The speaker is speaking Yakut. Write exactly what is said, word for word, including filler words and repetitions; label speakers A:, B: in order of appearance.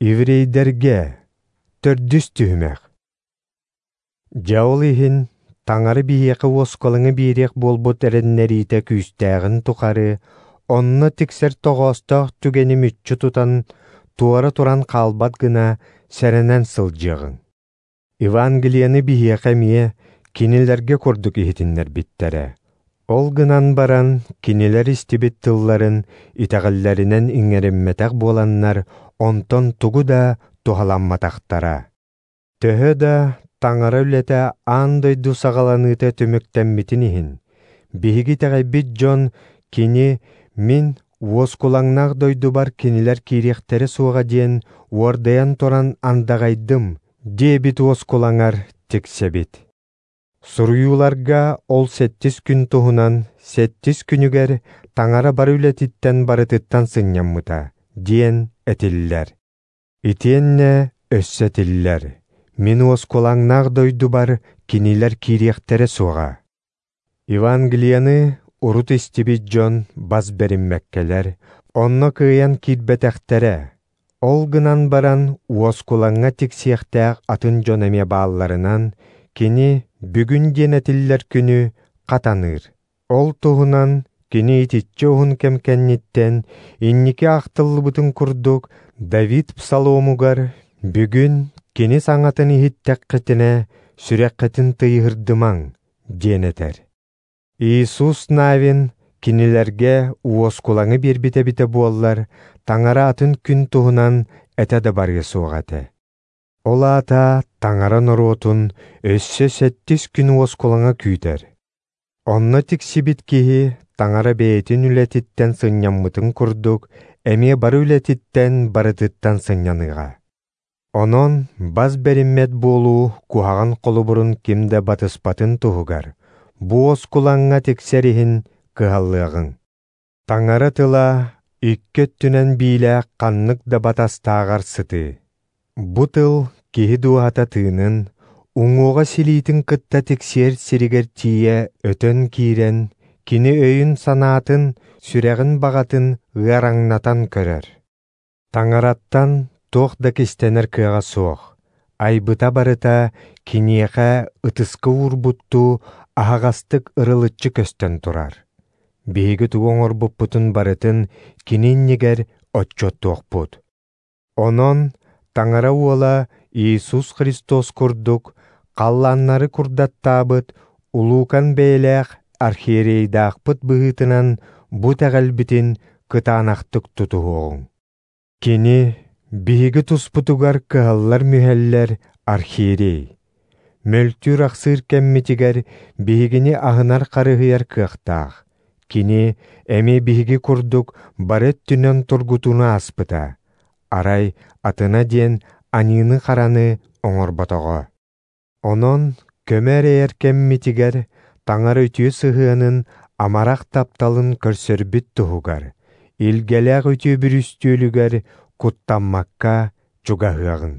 A: Еврейдэргэ төрдүс түһүмэх. Дьэ ол иһин Таҥара биһиэхэ уоскалаҥы биэриэх буолбут эрэннэриитэ күүстээҕин тухары, онно тиксэр тоҕоостоох түгэни мүччү тутан, туора туран хаалбат гына сэрэнэн сылдьыаҕыҥ. Евангелиены биһиэхэ эмиэ кинилэргэ курдук иһитиннэрбиттэрэ. Ол гынан баран, кинилэр истибит тылларын итэҕэллэринэн иҥэриммэтэх буоланнар, онтон тугу да туһаламматахтара. Төһө да Таҥара үлэтэ аан дойду саҕаланыыта түмүктэммитин иһин, биһиги итэҕэйбит дьон кини «Мин уоскулаҥнаах дойдубар кинилэр киириэхтэрэ суоҕа» диэн уордайан туран андаҕайдым диэбит уоскулаҥар тиксэбит. Суруйууларга ол сэттис күн туһунан сэттис күнүгэр Таҥара бары үлэтиттэн барытыттан сынньаммыта диэн этиллэр. Итиэннэ өссө этиллэр: «Мин уоскулаҥнаах дойдубар кинилэр киириэхтэрэ суоҕа». Евангелиены урут истибит дьон бас бэриммэккэлэр, онно кыайан киирбэтэхтэрэ. Ол гынан баран уоскулаҥҥа тиксиэхтээх атын дьон эмиэ баалларынан, кини бүгүн диэн этиллэр күнү хатаныыр. Ол туһунан кини итиччэ уһун кэм кэнниттэн инники ахтыллыбытын курдук Давид псаломугар «Бүгүн кини саҥатын иһиттэххитинэ, сүрэххитин тыйыһырдымаҥ» диэн этэр. Иисус Навин кинилэргэ уоскулаҥы биэрбит эбитэ буоллар, Таҥара атын күн туһунан этэ да барыа суох этэ. Ол аата Таҥара норуотун өссө сэттис күн уоскулаҥа күүтэр. Онно тиксибит киһи Таҥара бэйэтин үлэтиттэн сынньаммытын курдук, эмиэ бары үлэтиттэн барытыттан сынньаныаҕа. Онон бас бэриммэт буолуу куһаҕан холобурун ким да батыспатын туһугар, бу уоскулаҥҥа тиксэр иһин кыһаллыаҕыҥ. Таҥара тыла икки өттүнэн биилээх ханнык да батастааҕар сытыы. Бу тыл киһи дууһата тыынын, уҥуоҕа силиитин кытта тиксиэр сиригэр тиийэ өтөн киирэн, кини өйүн-санаатын, сүрэҕин баҕатын ыараҥнатан көрөр. Таҥараттан туох да кистэнэр кыаҕа суох, айбыта барыта киниэхэ ытыска уурбуттуу аһаҕастык ырылыччы көстөн турар. Биһиги тугу оҥорбуппутун барытын кини иннигэр отчуоттуохпут. Онон Таҥара уола Иисус Христос курдук халлааннары курдаттаабыт улуукан бэйэлээх архиерейдаахпыт быһыытынан бу итэҕэлбитин кытаанахтык тутуһуоҕуҥ. Кини биһиги туспутугар кыһаллар-мүһэллэр архиерей. Мөлтүүр-ахсыыр кэммитигэр биһигини аһынар-харыһыйар кыахтаах. Кини эмиэ биһиги курдук бары өттүнэн тургутууну ааспыта. Арай атына диэн аньыыны-хараны оҥорботоҕо. Онон көмө эрэйэр кэммитигэр Таҥара үтүө сыһыанын, амарах тапталын көрсөрбүт туһугар, илгэлээх үтүө бүрүстүөлүгэр куттаммакка чугаһыаҕыҥ.